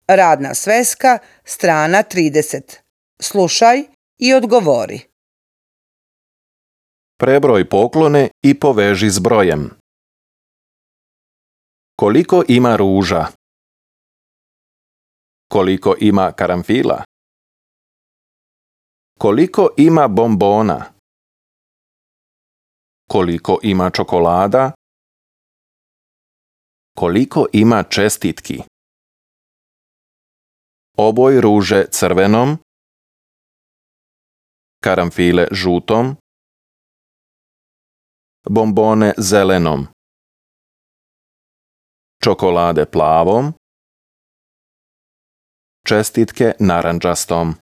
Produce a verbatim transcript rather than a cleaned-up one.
Radna sveska, strana trideset. Slušaj i odgovori. Prebroj poklone i poveži s brojem. Koliko ima ruža? Koliko ima karanfila? Koliko ima bombona? Koliko ima čokolada? Koliko ima čestitki? Oboj ruže crvenom, karanfile žutom, bombone zelenom, čokolade plavom, čestitke narandžastom.